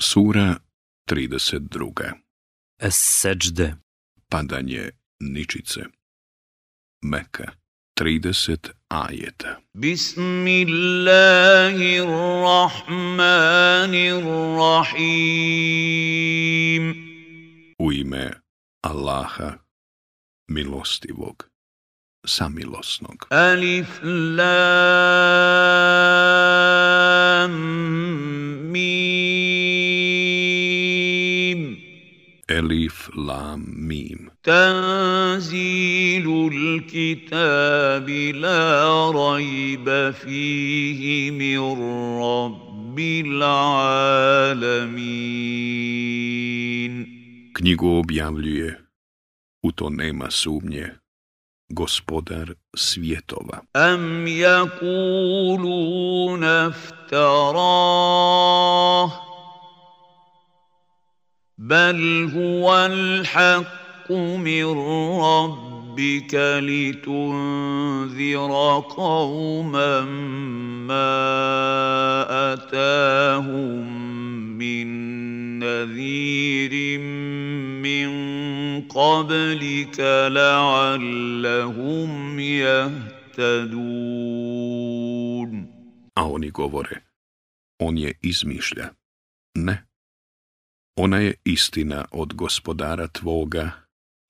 Sura 32. Es-Seđde. Padanje ničice. Meka. 30 ajeta. Bismillahirrahmanirrahim. U ime Allaha, milostivog, samilosnog. Alif Lam Mim. Elif, lam, mim. Tanzilul kitabi la rajba fihi min rabbil alamin. Knjigu objavljuje, u to nema sumnje, Gospodar svjetova. Am yakuluna iftarah بل هو الحق من ربك لتنذر قوما ما أتاهم من نذير من قبلك لعلهم يهتدون. A oni govore, on je izmišlja. Ne. Ona je istina od Gospodara tvoga,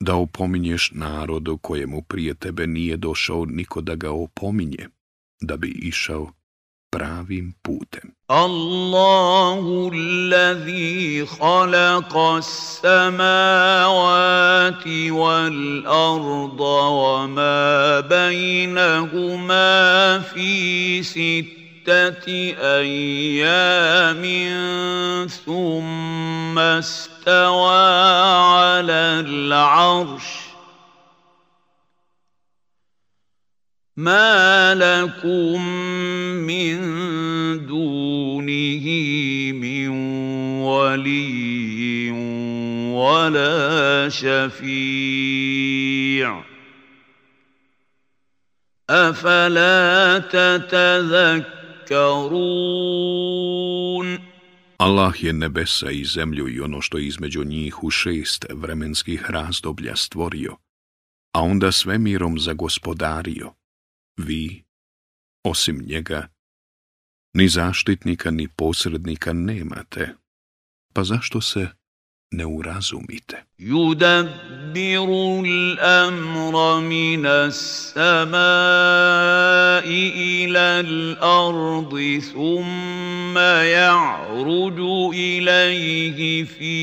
da opominješ narodu kojemu prije tebe nije došao niko da ga opominje, da bi išao pravim putem. Allahu allazi khalaqa as-samawati wal arda wa ma bainahuma fi أيام ثم استوى على العرش ما لكم من دونه من ولي ولا شفيع أفلا تتذكرون. Allah je nebesa i zemlju i ono što je između njih u 6 vremenskih razdoblja stvorio, a onda svemirom zagospodario. Vi, osim njega, ni zaštitnika ni posrednika nemate, pa zašto se ne urazumite? Yudabbiru al-amra min as-samai ila al-ardi thumma ya'ruju ilayhi fi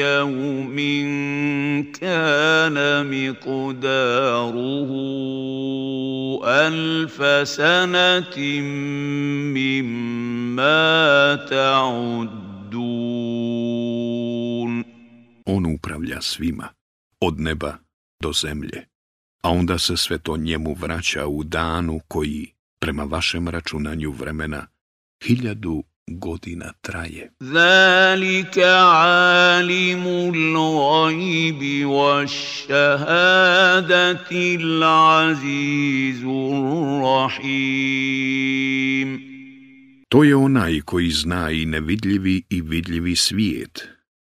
yawmin kana miqdaruhu alfa sanatin mimma ta'uddun. On upravlja svima, od neba do zemlje, a onda se sve to njemu vraća u danu koji, prema vašem računanju vremena, 1000 godina traje. Zalika alimul gajbi wash-shahadati al-azizur rahim. To je onaj koji zna i nevidljivi i vidljivi svijet,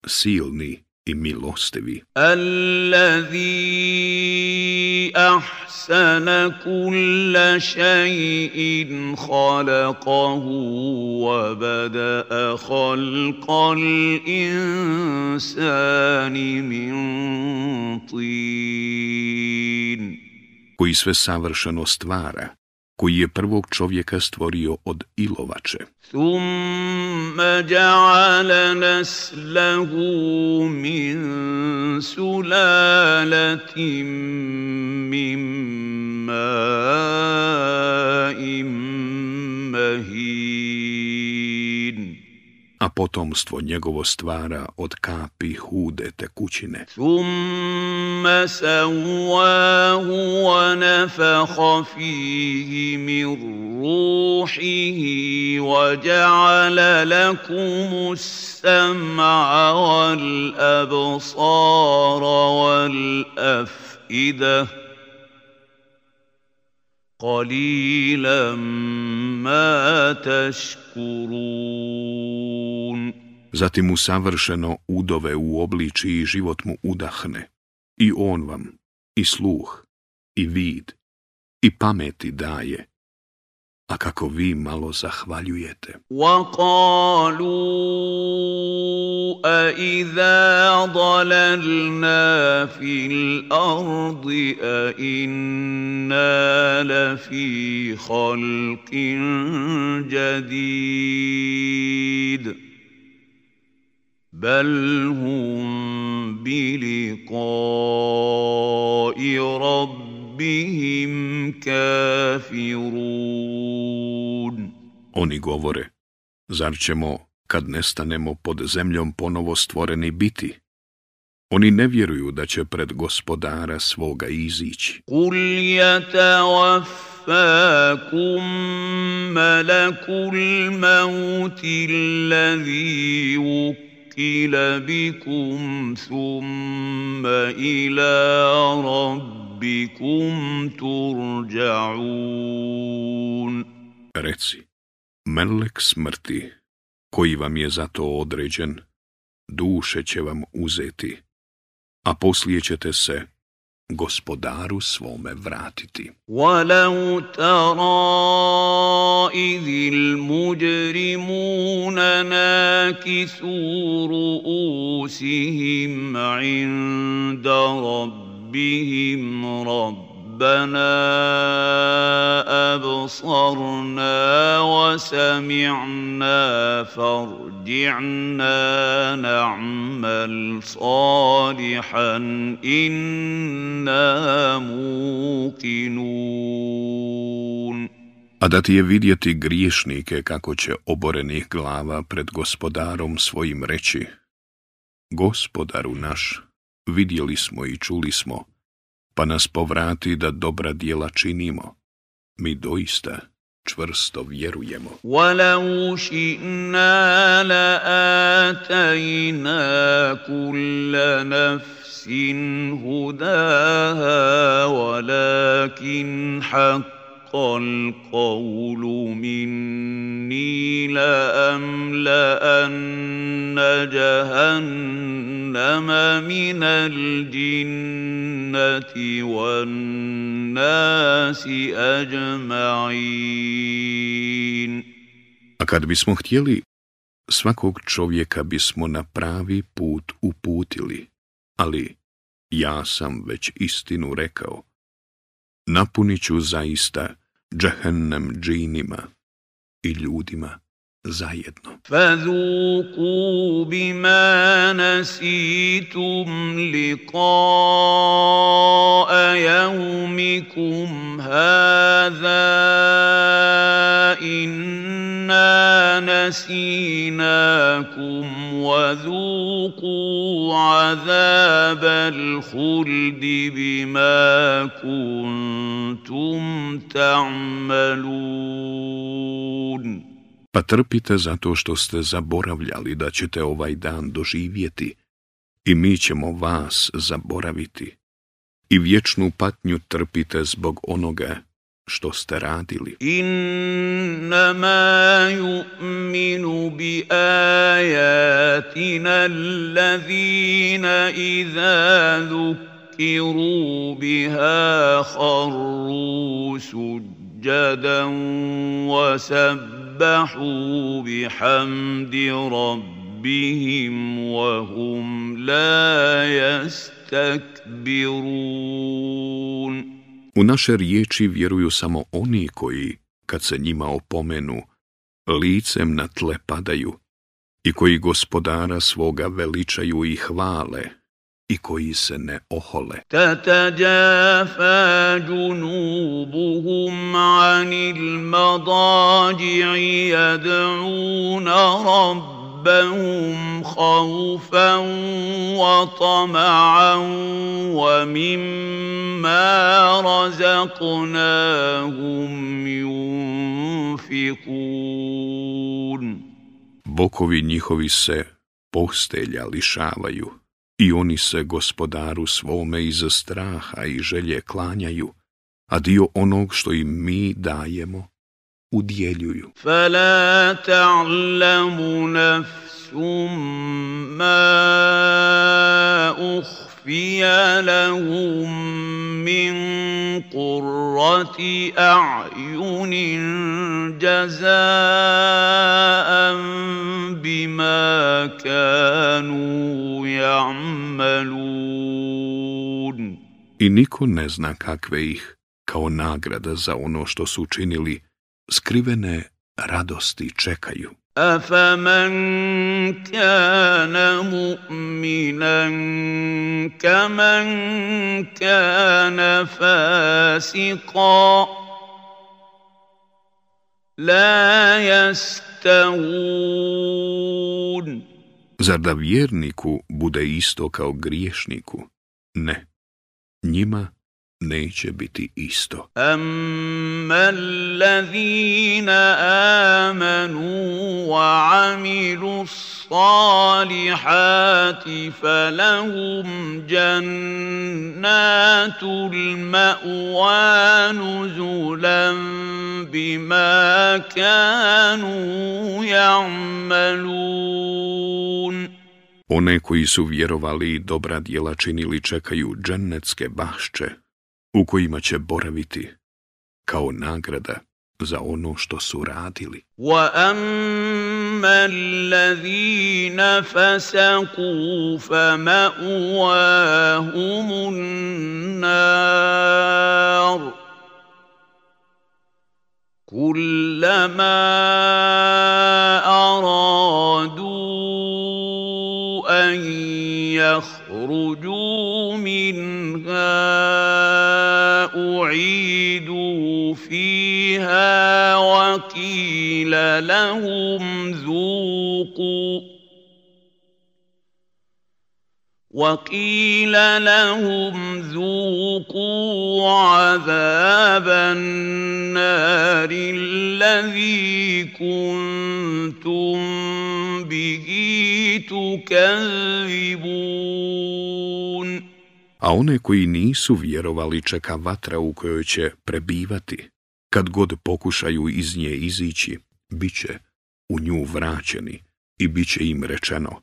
silni i milostivi. Allazi ahsana kulla shay'in khalaqahu wa bada'a khalqal insani min tin. Koji sve savršeno stvara, koji je prvog čovjeka stvorio od ilovače. Thumma ja'ala naslahu min sulalatin min ma'in mahin. A potomstvo njegovo stvara od kapi hude tekućine. Thumma sawwahu wa nafakha fihi min ruhihi wa ja'ala lakum as-sam'a wal absara wal af'idah qalilan ma tashkurun. Zatim mu savršeno udove u obliči i život mu udahne. I on vam i sluh, i vid, i pameti daje. A kako vi malo zahvaljujete. وَقَالُوا أَإِذَا ضَلَلْنَا فِي الْأَرْضِ أَإِنَّا لَفِي خَلْقٍ جَدِيدٍ بَلْ هُمْ بِلِقَاءِ رَبِّهِمْ كَافِرُونَ. Oni govore, zar ćemo, kad nestanemo pod zemljom, ponovo stvoreni biti? Oni ne vjeruju da će pred gospodara svoga izići. قُلْ يَتَوَفَّاكُم مَّلَكُ الْمَوْتِ الَّذِي وُكِّلَ بِكُمْ ثُمَّ إِلَىٰ رَبِّكُمْ تُرْجَعُونَ. Reci, melek smrti, koji vam je za to određen, duše će vam uzeti, a poslije ćete se gospodaru svome vratiti. وَلَوْ تَرَىٰ إِذِ الْمُجْرِمُونَ نَاكِسُو رُءُوسِهِمْ عِندَ رَبِّهِمْ رَبَّنَا أَبْصَرْنَا وَسَمِعْنَا فَارْجِعْنَا نَعْمَلْ صَالِحًا إِنَّا مُوقِنُونَ. A da ti je vidjeti griješnike kako će oborenih glava pred gospodarom svojim reći: Gospodaru naš, vidjeli smo i čuli smo, pa nas povrati da dobra djela činimo. Mi doista čvrsto vjerujemo. وَلَوْ شِئْنَا لَآتَيْنَا كُلَّ نَفْسٍ هُدَاهَا وَلَكِنْ حَقَّ الْقَوْلُ مِنِّي لَأَمْلَأَنَّ جَهَنَّمَ مِنَ الْجِنَّةِ وَالنَّاسِ أَجْمَعِينَ. A kad bismo htjeli, svakog čovjeka bismo na pravi put uputili, ali ja sam već istinu rekao. Napunit ću zaista džehennem džinima i ljudima zajedno. فَذُوقُوا بِمَا نَسِيتُمْ لِقَاءَ يَوْمِكُمْ هَٰذَا إِنَّا نَسِينَاكُمْ وَذُوقُوا عَذَابَ الْخُلْدِ بِمَا كُنتُمْ تَعْمَلُونَ. Pa trpite zato što ste zaboravljali da ćete ovaj dan doživjeti i mi ćemo vas zaboraviti. I vječnu patnju trpite zbog onoga što ste radili. إنما يؤمن بآياتنا الذين إذا ذكروا بها خروا سجدا وسبحوا بحمد ربهم وهم لا يستكبرون. U naše riječi vjeruju samo oni koji, kad se njima opomenu, licem na tle padaju i koji gospodara svoga veličaju i hvale i koji se ne ohole. تتجافى جنوبهم عن المضاجع يدعون ربهم خوفا وطمعا ومما رزقناهم ينفقون. Bokovi njihovi se postelja lišavaju i oni se gospodaru svome iz straha i želje klanjaju, a dio onog što im mi dajemo udjeljuju. فلا تعلم نفس ما أخفي لهم من قرة أعين جزاء بما كانوا يعملون. I niko ne zna kakve ih, kao nagrada za ono što su učinili, skrivene radosti čekaju. أفمن كان مؤمنا كمن كان فاسقا لا يستوون. Zar da vjerniku bude isto kao griješniku? Ne, njima neće biti isto. أما الذين آمنوا وعملوا الصالحات فلهم جنات المأوى نزلا بما كانوا يعملون. One koji su vjerovali i dobra djela činili čekaju džennetske bašče, u kojima će boraviti kao nagrada za ono što su radili. وَأَمَّا الَّذِينَ فَسَقُوا فَمَأْوَاهُمُ النَّارُ كُلَّمَا أَرَادُوا أَن يَخْرُجُوا مِنْهَا أُعِيدُوا فِيهَا وَقِيلَ لهم ذوقوا عذاب النار الذي كنتم به تكذبون. A one koji nisu vjerovali čeka vatra u kojoj će prebivati. Kad god pokušaju iz nje izići, bit će u nju vraćeni i bit će im rečeno: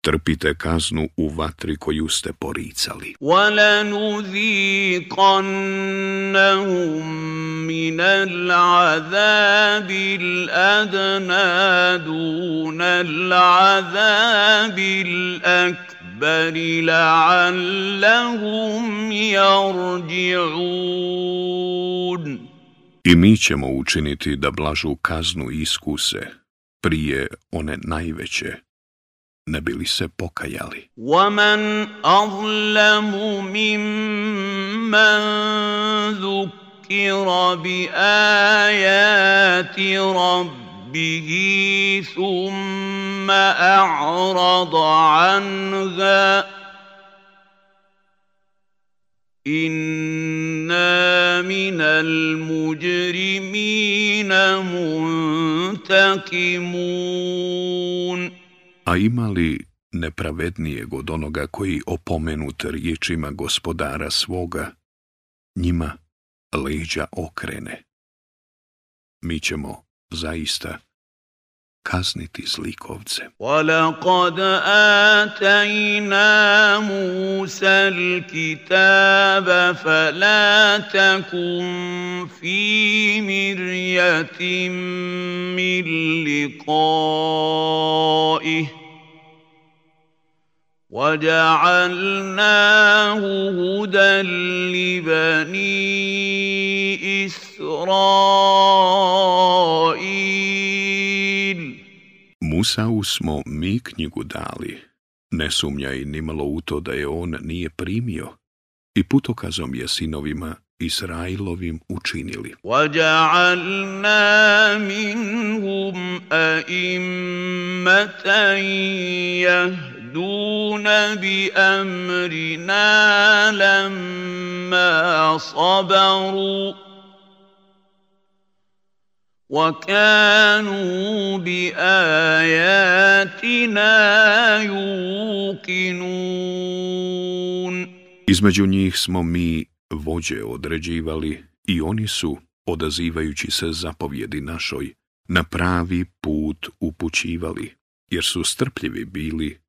trpite kaznu u vatri koju ste poricali. وَلَنُذِيقَنَّهُم مِّنَ الْعَذَابِ الْأَدْنَىٰ دُونَ الْعَذَابِ الْأَكْبَرِ لَعَلَّهُمْ يَرْجِعُونَ. I mi ćemo učiniti da blažu kaznu iskuse prije one najveće, ne bi li se pokajali. وَمَنْ أَظْلَمُ مِمَّنْ ذُكِّرَ بِآيَاتِ رَبِّهِ ثُمَّ أَعْرَضَ عَنْهَا إِنَّا مِنَ الْمُجْرِمِينَ مُنْتَقِمُونَ. A ima li nepravednijeg od onoga koji opomenut riječima gospodara svoga, njima leđa okrene? Mi ćemo zaista kazniti zlikovce. وَلَقَدْ آتَيْنَا مُوسَى الْكِتَابَ فَلَا تَكُنْ فِي مِرْيَةٍ مِّن لِقَائِهِ وَجَعَلْنَاهُ هُدًى لِبَنِي إِسْرَائِيلَ. Musau smo mi knjigu dali, ne sumnjaj nimalo u to da je on nije primio, i putokazom je sinovima Israilovim učinili. وَجَعَلْنَا مِنْهُمْ أَئِمَّةً يَهْدُونَ بِأَمْرِنَا لَمَّا صَبَرُوا وَكَانُوا بِآيَاتِنَا يُوقِنُونَ. Između njih smo mi vođe određivali i oni su, odazivajući se zapovjedi našoj, na pravi put upućivali. jer su strpljivi bili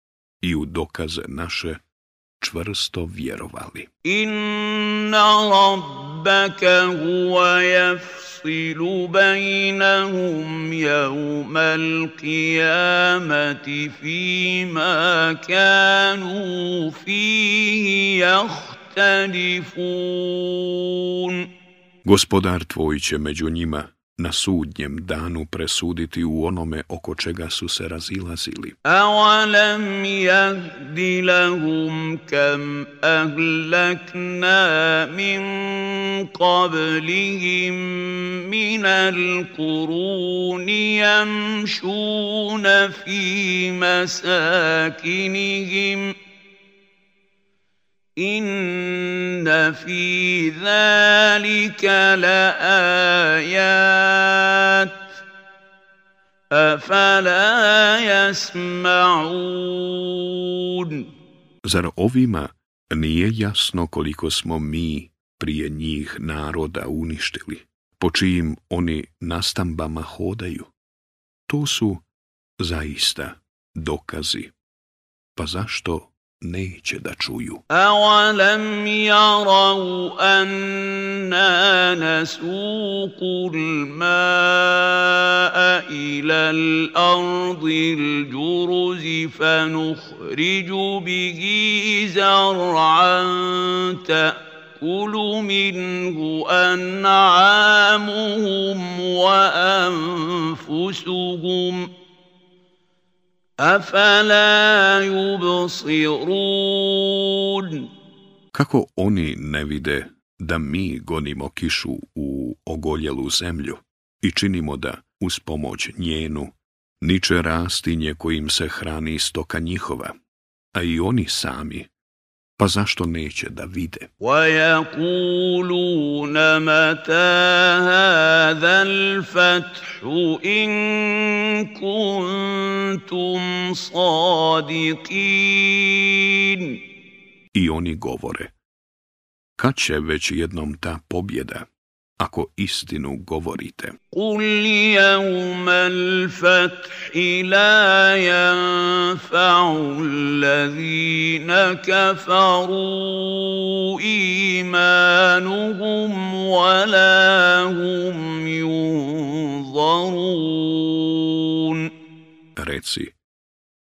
i u dokaze naše čvrsto vjerovali. Inna rabbaka huwa yafsilu bainahum yawmal qiyamati fima kanu fihi yahtalifun. Gospodar tvoj će među njima na sudnjem danu presuditi u onome oko čega su se razilazili. Awalam yahdi lahum kam ahlakna min qablihim min al-quruni yamshuna fi masakinihim. Inna fi zalika la ayat afala yasma'un. Zar ovima nije jasno koliko smo mi prije njih naroda uništili, po čijim oni nastambama hodaju? To su zaista dokazi. Pa zašto neće da čuju? Awalam yarau anna nasuqu al-ma'a ila al-ardi al-juruzi fanukhriju bihi zar'an ta'kulu minhu an'amuhum wa anfusuhum afala yubsirun. Kako oni ne vide da mi gonimo kišu u ogoljelu zemlju i činimo da, uz pomoć njenu, niče rastinje kojim se hrani stoka njihova, a i oni sami, pa zašto neće da vide? وَيَقُولُونَ مَتَى هَذَا الْفَتْحُ إِن كُنتُمْ صَادِقِينَ. I oni govore, kad će već jednom ta pobjeda, ako istinu govorite? قُلْ يَوْمَ الْفَتْحِ لَا يَنفَعُ الَّذِينَ كَفَرُوا إِيمَانُهُمْ وَلَا هُمْ يُنظَرُونَ. Reci,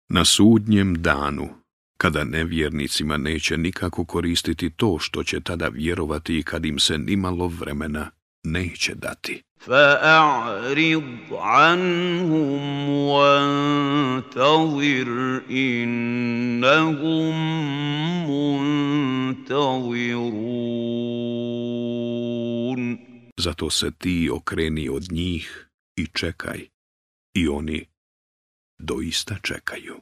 na sudnjem danu, kada nevjernicima neće nikako koristiti to što će tada vjerovati i kad im se nimalo vremena neće dati. فَأَعْرِضْ عَنْهُمْ وَانْتَظِرْ إِنَّهُمْ مُنْتَظِرُونَ. Zato se ti okreni od njih i čekaj, i oni doista čekaju.